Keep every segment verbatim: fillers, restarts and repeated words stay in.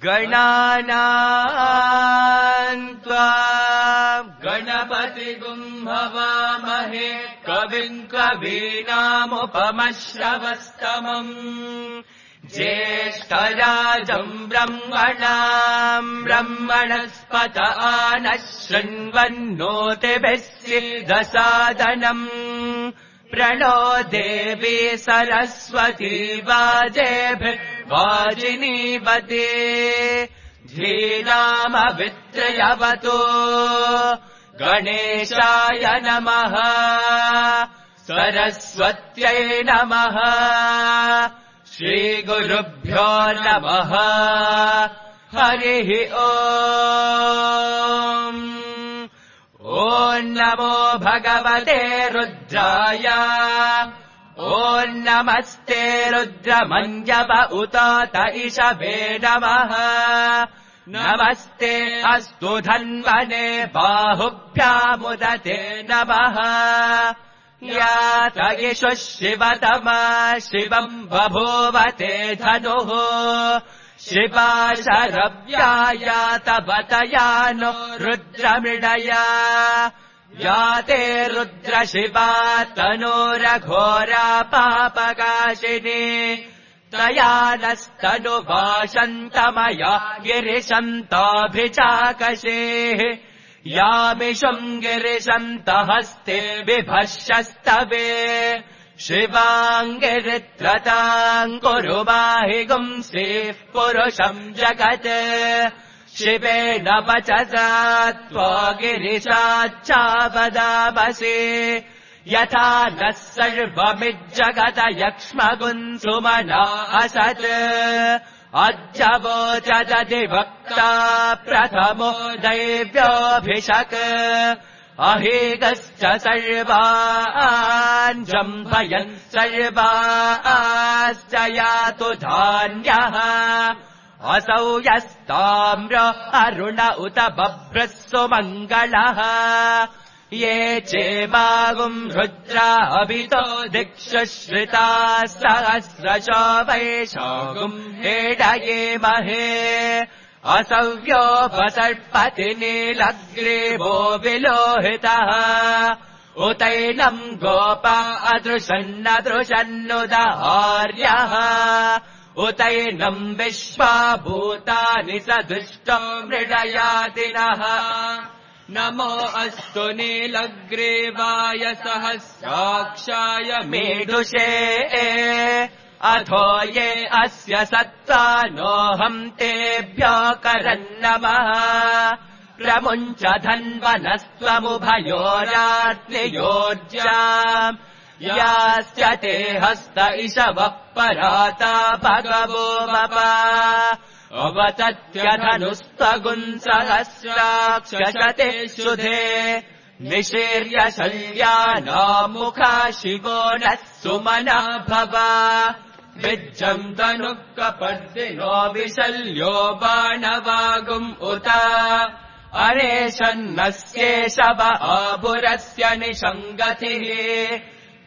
गणानां त्वा गणपतिगुं हवामहे कविं कवीनामुपमश्रवस्तमम् ज्येष्ठराजम् ब्रह्मणाम् ब्रह्मणस्पत आनः शृण्वन्नोतिभिः सीदसादनम् प्रणो देवी सरस्वती वाजेभिः वाजिनीवते धीनामवित्रयवतो गणेशाय नमः सरस्वत्यै नमः श्रीगुरुभ्यो नमः हरिः ओम् ॐ नमो भगवते रुद्राय ॐ नमस्ते रुद्रमन्यव उतात इषवे नमः नमस्ते अस्तु धन्वने बाहुभ्यामुदते नमः यात इषु शिवतमा शिवम् बभूवते धनुः शिवा शरव्यायात बतयानो रुद्रमृडया याते रुद्रशिवा तनोरघोरा पापकाशिनी तया नस्तनुभाषन्तमया गिरिशन्ताभिचाकशेः यामिषम् गिरिशन्तहस्ते बिभर्षस्तवे शिवाङ्गिरित्रताम् कुरु माहि गुंसीः पुरुषम् जगत् शिवेन वचसा त्वा गिरिशाच्चावदामसि यथा नः सर्वमिज्जगत यक्ष्मगुन्सुमना असत् अज्जवोचदधिवक्ता प्रथमो दैव्योऽभिषक् अहेगश्च सर्वान् जम्भयन् सर्वाश्च यातु धान्यः असौ यस्ताम्र अरुण उत बभ्रः सुमङ्गलः ये चेमागुम् रुद्रा अभितो दिक्षु श्रिताः सहस्रशो वैशागुम् हेडये महे असव्योपसर्पति नीलग्रीवो विलोहितः उतैनम् गोपा अदृशन्नदृशन्नुदार्यः उतैनम् विश्वा भूतानि सदुष्टो मृडयादिनः नमो अस्तु नीलग्रीवाय सहस्राक्षाय मेढुषे अथो ये अस्य सत्त्वानोऽहम् तेभ्यो करन्नमः प्रमुञ्च धन्वनस्त्वमुभयोरात्नियोज्याम् यास्य ते हस्त इषवः पराता भगवो वपा अवतत्यधनुस्तगुंसहस्राक्षशते शुधे निशीर्य शल्यानामुखा शिवो नः सुमना भवा विज्जम् तनुः कपर्दिनो विशल्यो बाणवागुम् उत अरेशन्नस्येषव आभुरस्य निषङ्गतिः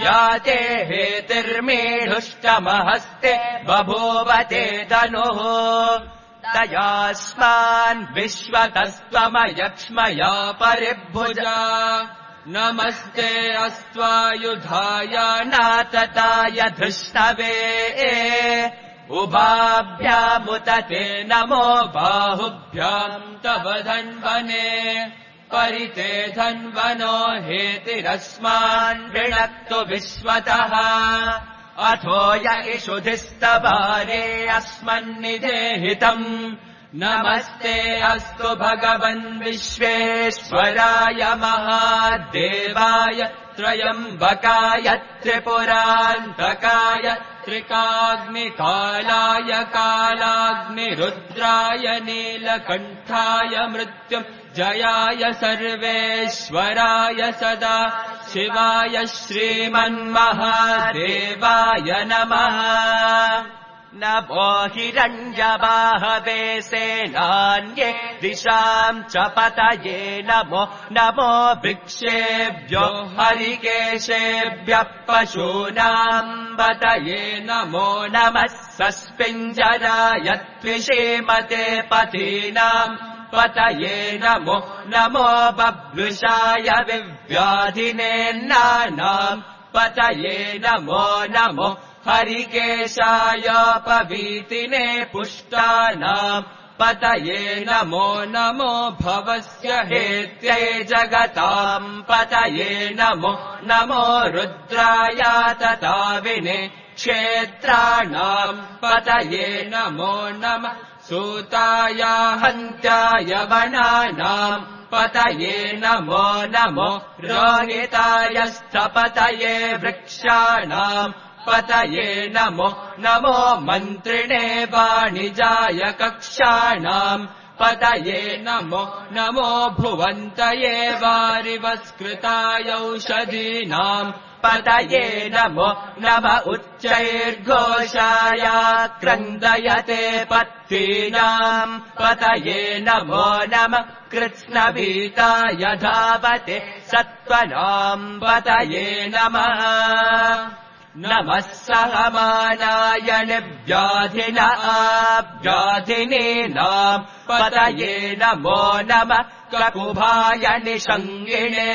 याते हेतिर्मेढुष्टमहस्ते बभूवते तनुः तयास्मान् विश्वतस्त्वमयक्ष्मया परिभुजा नमस्ते अस्त्वायुधाय नातताय धृष्णवे उभाभ्यामुत ते नमो बाहुभ्याम् तव धन्वने परिते धन्वनो हेतिरस्मान् वृणक्तु विश्वतः अथो य इषुधिस्तवारे अस्मन्निधेहितम् नमस्ते अस्तु भगवन् विश्वेश्वराय महादेवाय त्रयम्बकाय त्रिपुरान्तकाय त्रिकाग्निकालाय कालाग्निरुद्राय नीलकण्ठाय मृत्युम् जयाय सर्वेश्वराय सदा शिवाय श्रीमन्महादेवाय नमः नमो हिरण्यबाहवे सेनान्ये दिशाम् च पतये नमो नमो वृक्षेभ्यो हरिकेशेभ्यः पशूनाम् पतये नमो नमः सस्पिञ्जराय त्विषीमते पतीनाम् पतये नमो नमो बभ्रुषाय विव्याधिनेन्नानाम् पतये नमो नमो हरिकेशाय पवीतिने पुष्टानाम् पतये नमो नमो भवस्य हेत्यै जगताम् पतये नमो नमो रुद्राय तताविने क्षेत्राणाम् पतये नमो नमः सूताय हन्त्याय वनानाम् पतये नमो नमो रोहिताय स्थपतये वृक्षाणाम् पतये नमो नमो मन्त्रिणे वाणिजाय कक्षाणाम् पतये नमो नमो भुवन्तये वारिवस्कृताय औषधीनाम् पतये नमो नम उच्चैर्घोषाय क्रन्दयते पत्तीनाम् पतये नमो नम कृत्स्नभीताय धावते सत्त्वनाम् पतये नमः नमः सहमानाय निव्याधिनाभ्याधिनीनाम् पतये नमो नमः ककुभाय निषङ्गिणे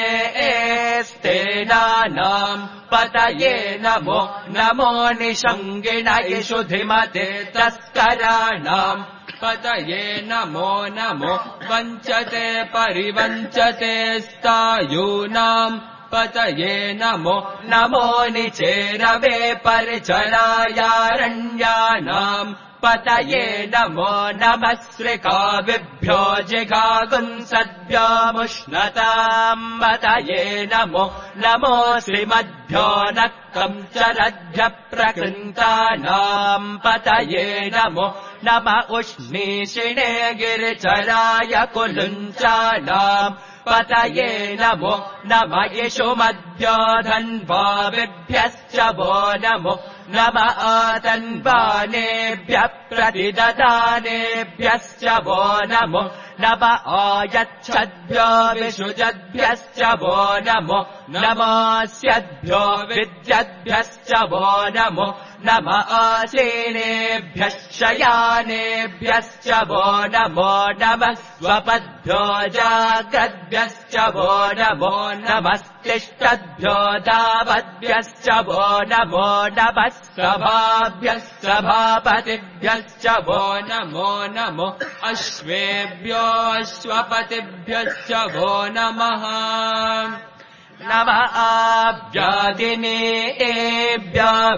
स्तेनानाम् पतये नमो नमो निषङ्गिणयिषु धिमते तस्कराणाम् पतये नमो नमो वञ्चते परिवञ्चते स्तायूनाम् पतये नमो नमो निचेरवे परिचरायारण्यानाम् पतये नमो नमः श्रिकाविभ्यो जिगागुंसद्भ्योमुष्णताम् पतये नमो नमो श्रीमद्भ्यो नक्कम् चरद्भ्यः प्रकृन्तानाम् पतये नमो नम उष्णीषिणे गिरिचराय कुलुञ्चानाम् पतये नमो नम यशुमद्भ्यो धन्वाविभ्यश्च वो नमो नम आतन्वानेभ्यः प्रतिददानेभ्यश्च वो नमो नम आयच्छद्भ्यो विषुजद्भ्यश्च वो नमो नमास्यद्भ्यो विद्यद्भ्यश्च वो नमो नम आसीनेभ्यः शयानेभ्यश्च वो नमो नमः स्वपद्भ्यो जाग्रद्भ्यश्च वो नमो नमस्तिष्ठद्भ्यो दावद्भ्यश्च वो नमो नमः सभाभ्यः सभापतिभ्यश्च वो नमो नमो अश्वेभ्यो अश्वपतिभ्यश्च वो नमः नमः आभ्यादिनेभ्यो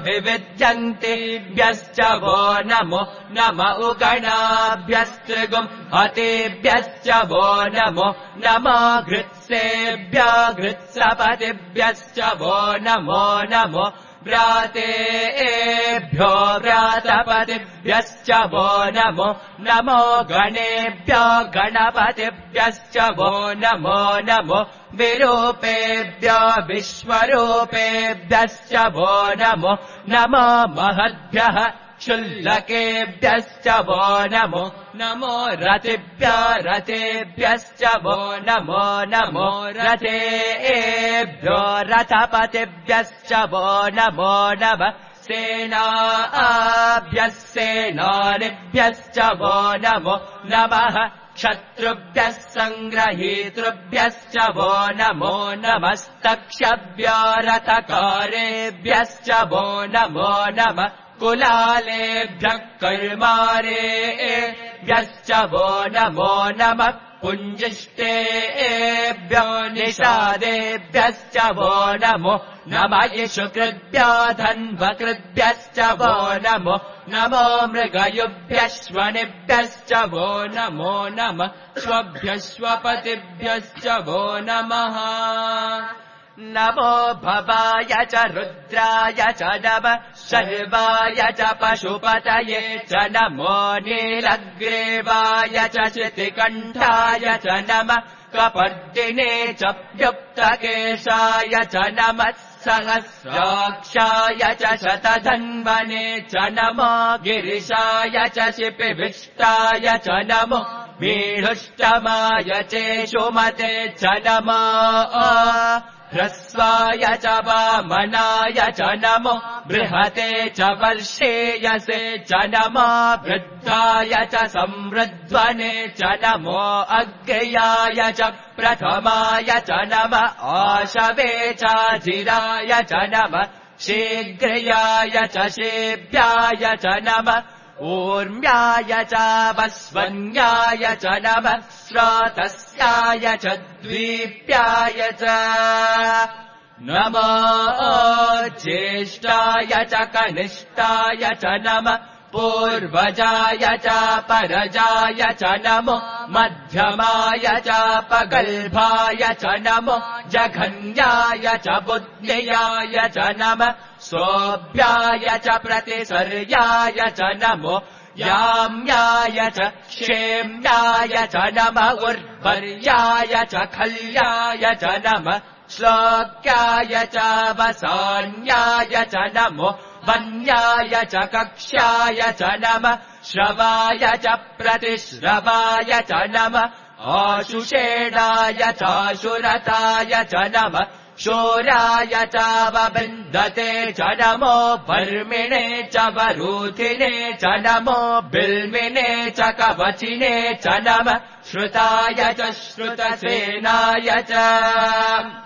विविध्यन्तिभ्यश्च वो नमो नम उगणाभ्यस्त्रिगुम् हतेभ्यश्च वो नमो नमो घृत्सेभ्यो घृत्सपतिभ्यश्च वो नमो नमो व्रातेभ्यो व्रातपतिभ्यश्च वो नमो नमो गणेभ्यो गणपतिभ्यश्च वो नमो नमो विरूपेभ्यो विश्वरूपेभ्यश्च वो नमो नमो महद्भ्यः क्षुल्लकेभ्यश्च वो नमो नमो रतिभ्यो रतेभ्यश्च वो नमो नमो रतेभ्यो रथपतिभ्यश्च वो नमो नमः सेनाभ्यः सेनानिभ्यश्च वो नमो नमः क्षत्रुभ्यः सङ्ग्रहीतृभ्यश्च वो नमो नमस्तक्षभ्यो रथकारेभ्यश्च वो नमो नमः कुलालेभ्यः कर्मारेभ्यश्च वो नमो नमः पुञ्जिष्टेभ्यो निषादेभ्यश्च वो नमो नमः यशुकृभ्यो धन्वकृभ्यश्च वो नमो नमो मृगयुभ्यश्वनिभ्यश्च वो नमो नमः स्वभ्यश्वपतिभ्यश्च वो नमः नमो भवाय च रुद्राय च नमः शर्वाय च पशुपतये च नमो नीलग्रीवाय च शितिकण्ठाय च नमः कपर्दिने च व्युक्तकेशाय च नमः सहस्राक्षाय च शतधन्वने च नमो गिरिशाय च शिपिविष्टाय च नमो मीढुष्टमाय चेषुमते च नमो ह्रस्वाय च वामनाय च नमो बृहते च वर्षेयसे च नमो वृद्धाय च संवृध्वने च नमो अग्र्याय च प्रथमाय च नमः आशवे च जिराय च नमः शीघ्रयाय च शेभ्याय च नमः ऊर्म्याय च वस्वन्याय च नमः स्रातस्याय च द्वीप्याय च नमो ज्येष्ठाय च कनिष्ठाय च नमः पूर्वजाय च परजाय च नमो मध्यमाय च पगल्भाय च नमो जघन्याय च बुद्ध्याय च नमः सोऽभ्याय च प्रतिसर्याय च नमो याम्याय च क्षेम्याय च नमः उर्वर्याय च खल्याय च नमः श्लोक्याय च वसान्याय च नमो वन्याय च कक्ष्याय च नमः श्रवाय च प्रतिश्रवाय च नमः आशुषेणाय चाशुरताय च नमः शोराय च वबिन्दते च नमो वर्मिणे च वरूथिने च नमो बिल्मिने च कवचिने च नमः श्रुताय च श्रुतसेनाय च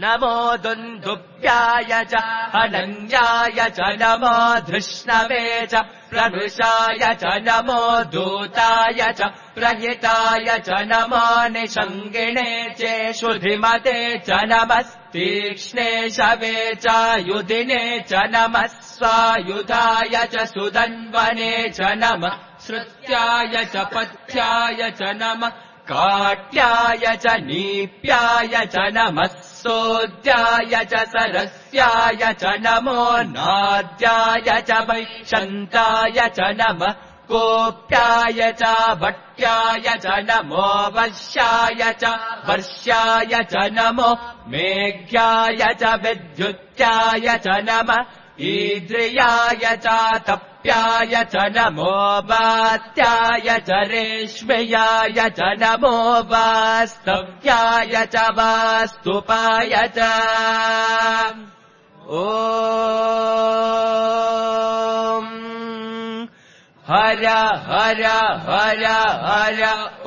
नमो दुन्दुभ्याय च अनन्याय च नमो धृष्णवे च प्रभृशाय च नमो दूताय च प्रहिताय च नमो निषङ्गिणे चेषुधिमते च नमस्तीक्ष्णे शवे च युधिने च नमः स्वायुधाय च सुदन्वने च नमः श्रुत्याय च पथ्याय च नमः काट्याय च नीप्याय च नमः सोद्याय च सरस्याय च नमो नाद्याय च वैशन्ताय च नमः कोप्याय च भट्याय च नमो वश्याय च वर्ष्याय च नमो मेघ्याय च विद्युत्याय च नमः ईद्रियाय च तप्याय च नमो वात्याय च रेश्मयाय च नमो वास्तव्याय च वास्तुपाय च ॐ हर हर हर हर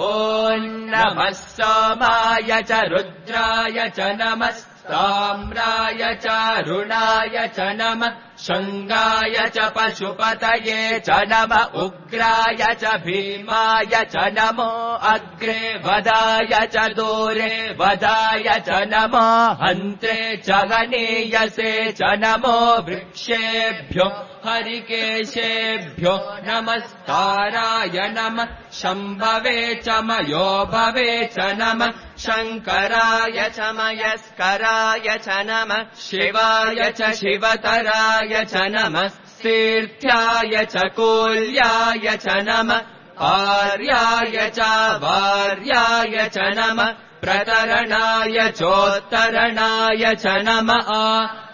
ॐ नमः सोमाय च रुद्राय च नमः ताम्राय च रुणाय च नमः शङ्गाय च पशुपतये च नमः उग्राय च भीमाय च नमो अग्रे वदाय च दूरे वदाय च नमो हन्त्रे च गणीयसे च नमो वृक्षेभ्यो हरिकेशेभ्यो नमस्ताराय नमः शम्भवे च मयोभवे च नमः शङ्कराय च मयस्कराय च नमः शिवाय च शिवतराय च नमः तीर्थ्याय च कूल्याय च नमः आर्याय च वार्याय च नमः प्रतरणाय चोत्तरणाय च नमः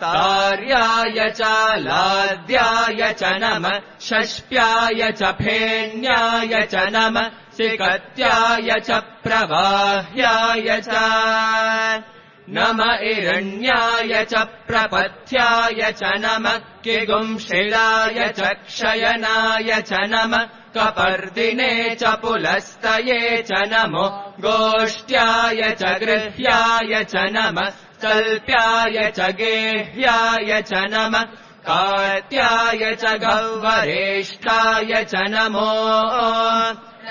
तार्याय च लाद्याय च नमः षष्प्याय च फेन्याय च नमः सिकत्याय च प्रवाह्याय च नम इरण्याय च प्रपथ्याय च नमः किगुंशिलाय च क्षयनाय च नमः कपर्दिने च पुलस्तये च नमो गोष्ट्याय च गृह्याय च नमः कल्प्याय च गेह्याय च नमः कार्त्याय च गह्वरेष्ठाय च नमो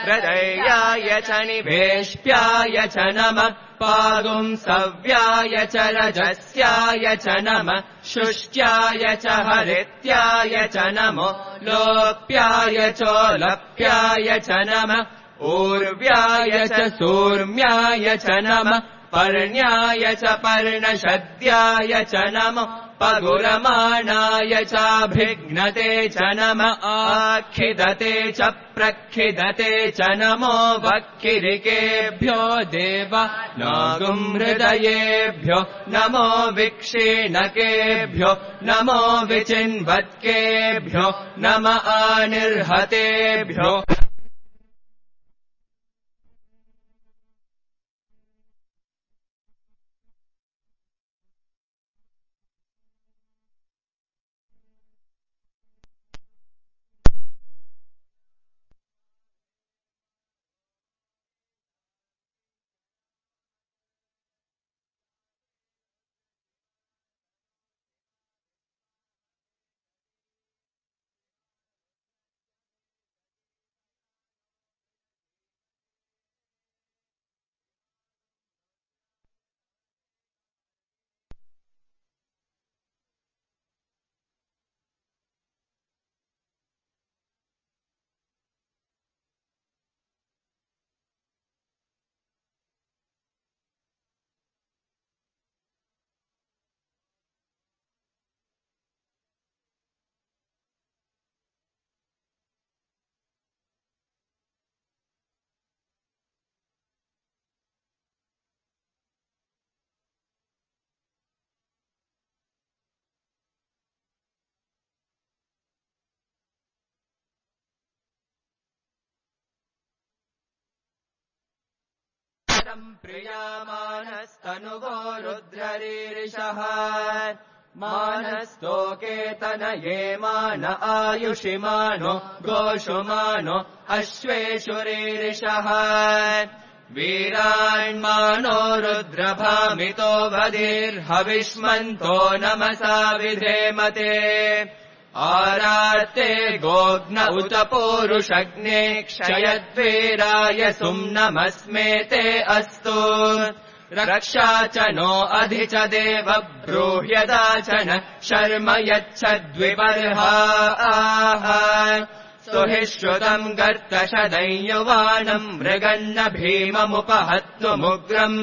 हृदयाय च निवेष्ट्याय च नमः पागुंसव्याय च रजस्याय च नमः शुष्ट्याय च हरित्याय च नमो लोप्याय चोलप्याय च नमः ऊर्व्याय च सूर्म्याय च नमः पर्ण्याय च पर्णशद्याय च नमो पगुरमाणाय चाभिघ्नते च नम आखिदते च प्रखिदते च नमो वक्किरिकेभ्यो देवानागुम् हृदयेभ्यो नमो विक्षीणकेभ्यो नमो विचिन्वत्केभ्यो नम आनिर्हतेभ्यो प्रियामानस्तनुवो रुद्ररीरिषः मानस्तोकेतनये मान आयुषिमानो गोषुमानो अश्वेषुरीरिषः वीरान्मानो रुद्रभामितो वधीर्हविष्मन्तो नमसा विधेमते आरार्ते गोग्न उत पूरुषग्ने क्षयद्वीराय सुम्नमस्मेते अस्तु रक्षा च नो अधि च देव ब्रूह्यदाचन शर्म यच्छद्विपर्हाः स्तुहि श्रुतम् गर्तशदैयुवानम् मृगन्न भीममुपहत्तुमुग्रम्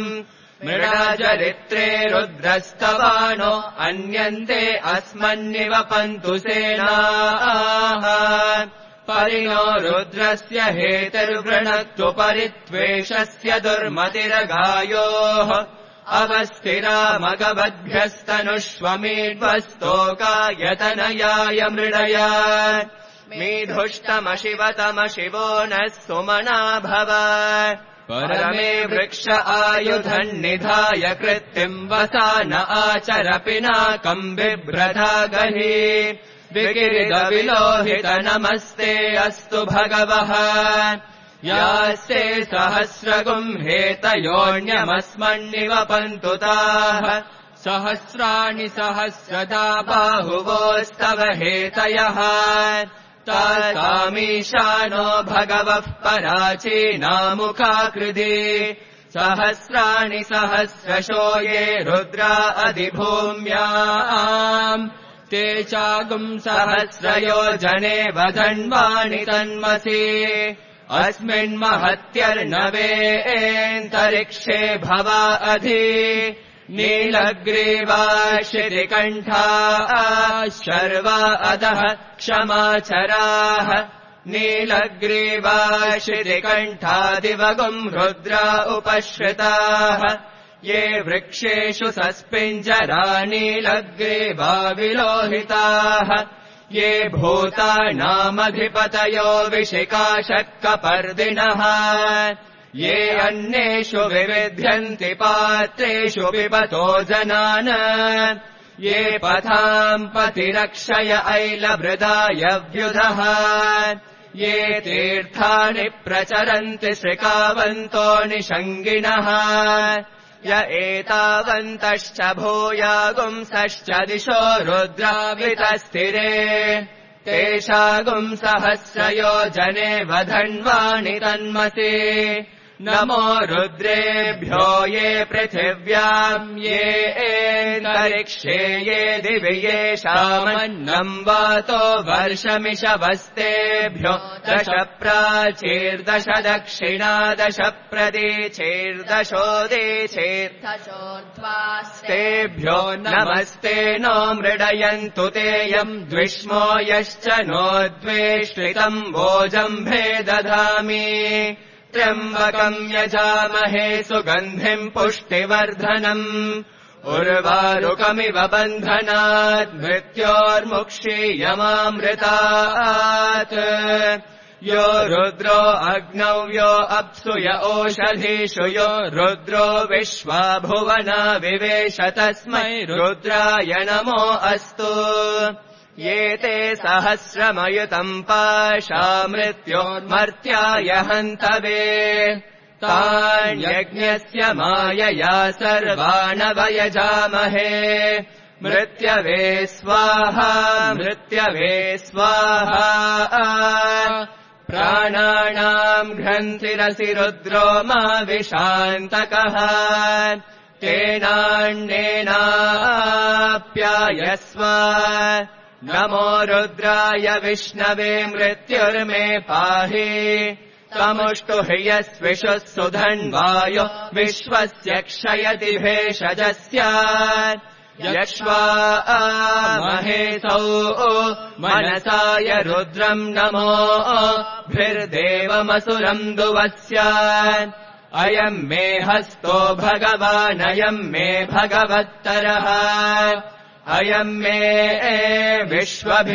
मृडाचरित्रे रुद्रस्तवानो अन्यन्ते अस्मन्निवपन्तु सेनाः परिणो रुद्रस्य हेतिर्वृणक्तु परित्वेषस्य दुर्मतिरगायोः अवस्थिरामगवद्भ्यस्तनुष्वमीड्वस्तोकायतनयाय मृडया मीधुष्टमशिवतमशिवो नः सुमना भव परमे वृक्ष आयुधन्निधाय कृत्तिम् वसान आचर पिनाकम् बिभ्रधा गहि विकिरिदविलोहित नमस्ते अस्तु भगवः यास्ते सहस्रगुम् हेतयोऽन्यमस्मन्निवपन्तु ताः सहस्राणि सहस्रदा बाहुवोस्तव हेतयः तासामीशानो भगवः पराचीनामुखाकृति सहस्राणि सहस्रशो ये रुद्रा अधिभूम्याम् ते चागुम् सहस्रयोजने वधन्वाणि तन्मसि अस्मिन्महत्यर्णवेऽन्तरिक्षे भवा अधि नीलग्रीवा शितिकण्ठा शर्वा अधः क्षमाचराः नीलग्रीवा शितिकण्ठादिवगुम् रुद्रा उपश्रिताः ये वृक्षेषु सस्पिञ्जरा नीलग्रीवा विलोहिताः ये भूतानामधिपतयो विशिकाशक्कपर्दिनः ये अन्येषु विविध्यन्ति पात्रेषु पिबतो जनान् ये पथाम् पतिरक्षय ऐलभृदाय व्युधः ये तीर्थानि प्रचरन्ति श्रिकावन्तो निषङ्गिणः य एतावन्तश्च भूयागुंसश्च दिशो रुद्रावितस्थिरे तेषागुम् सहस्रयोजने वधन्वानि तन्मसि नमो रुद्रेभ्यो ये पृथिव्याम् ये एन्तरिक्षे ये दिवि येषामन्नम् वातो वर्षमिषवस्तेभ्यो दश प्राचीर्दश दक्षिणा दश प्रतीचीर्दशोदीचीर्दशोर्ध्वास्तेभ्यो नमस्ते नो मृडयन्तु तेयम् द्विष्मो यश्च नो द्वेष्टितम् भोजम्भे दधामि त्र्यम्बकम् यजामहे सुगन्धिम् पुष्टिवर्धनम् उर्वारुकमिव बन्धनात् मृत्योर्मुक्षीयमामृतात् यो रुद्रो अग्नौ यो अप्सु य ओषधीषु यो रुद्रो विश्वा भुवना विवेश तस्मै रुद्राय नमो अस्तु ये ते सहस्रमयुतम् पाशा मृत्योर्मर्त्याय हन्तवे तान्यज्ञस्य मायया सर्वाणवयजामहे मृत्यवे स्वाहा मृत्यवे स्वाहा प्राणानाम् घ्रन्थिरसि रुद्रो मा विशान्तकः तेनान्नेनाप्यायस्व नमो रुद्राय विष्णवे मृत्युर्मे पाहि तमुष्टुह्यस्विषुः सुधन्वायो विश्वस्य क्षयति भेषजस्य यक्ष्वा महेसौ मनसाय रुद्रम् नमो भृर्देवमसुरम् दुवस्य अयम् मे हस्तो भगवानयम् मे भगवत्तरः अयम् मे विश्वभेषजो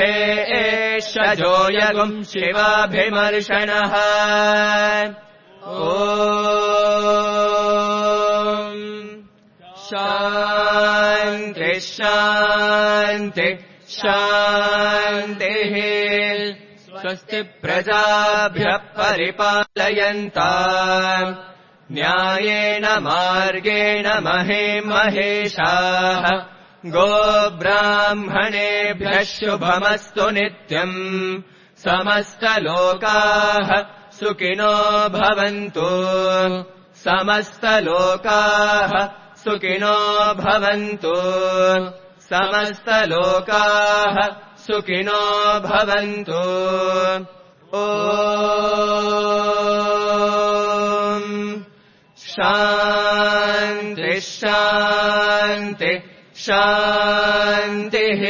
यगुम् शिवाभिमर्शनः ॐ शान्ति शान्ति शान्तिः स्वस्ति प्रजाभ्यः परिपालयन्ताम् न्यायेन मार्गेण महे महेशाः गोब्राह्मणेभ्यः शुभमस्तु नित्यम् समस्तलोकाः सुखिनो भवन्तु समस्तलोकाः सुखिनो भवन्तु समस्तलोकाः सुखिनो भवन्तु ॐ शान्ति शान्ति शान्तिः